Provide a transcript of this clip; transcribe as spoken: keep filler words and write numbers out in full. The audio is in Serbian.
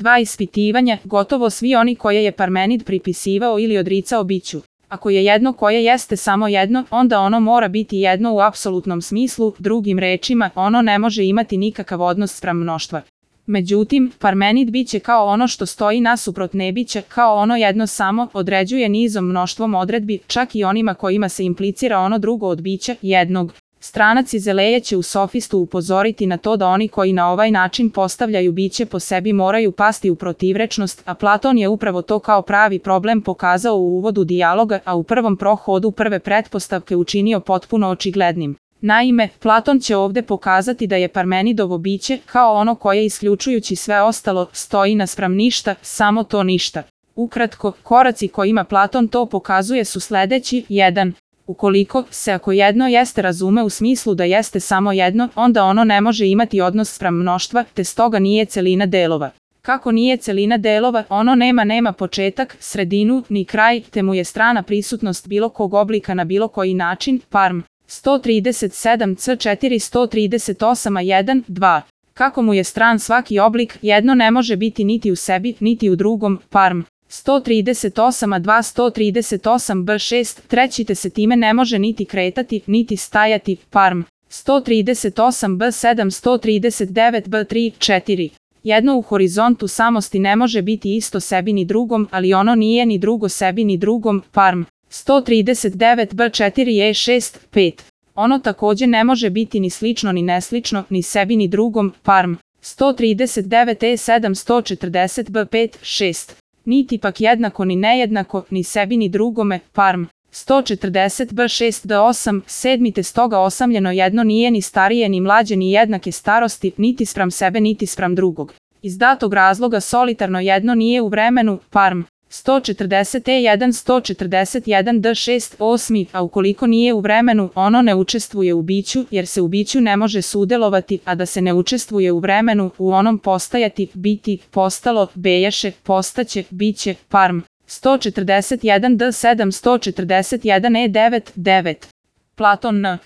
Dva ispitivanja, gotovo svi oni koje je Parmenid pripisivao ili odricao biću. Ako je jedno koje jeste samo jedno, onda ono mora biti jedno u apsolutnom smislu, drugim rečima, ono ne može imati nikakav odnos spram mnoštva. Međutim, Parmenid biće kao ono što stoji nasuprot nebića, kao ono jedno samo, određuje nizom mnoštvom odredbi, čak i onima kojima se implicira ono drugo od bića, jednog. Stranac iz Eleje će u sofistu upozoriti na to da oni koji na ovaj način postavljaju biće po sebi moraju pasti u protivrečnost, a Platon je upravo to kao pravi problem pokazao u uvodu dijaloga, a u prvom prohodu prve pretpostavke učinio potpuno očiglednim. Naime, Platon će ovde pokazati da je Parmenidovo biće, kao ono koje isključujući sve ostalo, stoji naspram ništa, samo to ništa. Ukratko, koraci kojima Platon to pokazuje su sledeći. jedan. Ukoliko se ako jedno jeste razume u smislu da jeste samo jedno, onda ono ne može imati odnos spram mnoštva, te stoga nije celina delova. Kako nije celina delova, ono nema nema početak, sredinu, ni kraj, te mu je strana prisutnost bilo kog oblika na bilo koji način, parm. sto trideset sedam c četiri sto trideset osam a jedan, dva. Kako mu je stran svaki oblik, jedno ne može biti niti u sebi, niti u drugom, parm. sto trideset osam a dva sto trideset osam b šest, treći te se time ne može niti kretati, niti stajati, parm. sto trideset osam b sedam sto trideset devet b tri, četiri. Jedno u horizontu samosti ne može biti isto sebi ni drugom, ali ono nije ni drugo sebi ni drugom, parm. sto trideset devet b četiri e šest, pet. Ono takođe ne može biti ni slično ni neslično, ni sebi ni drugom, parm. sto trideset devet e sedam sto četrdeset b pet, šest. Niti pak jednako ni nejednako, ni sebi ni drugome, parm. sto četrdeset b šest d osam, sedmi te stoga osamljeno jedno nije ni starije ni mlađe ni jednake starosti, niti spram sebe niti spram drugog. Iz datog razloga solitarno jedno nije u vremenu, parm. sto četrdeset e jedan sto četrdeset jedan d šest, osmi, a ukoliko nije u vremenu, ono ne učestvuje u biću, jer se u biću ne može sudelovati, a da se ne učestvuje u vremenu, u onom postajati, biti, postalo, bejaše, postaće, biće, parm. sto četrdeset jedan d sedam sto četrdeset jedan e devet, devet. Platon N.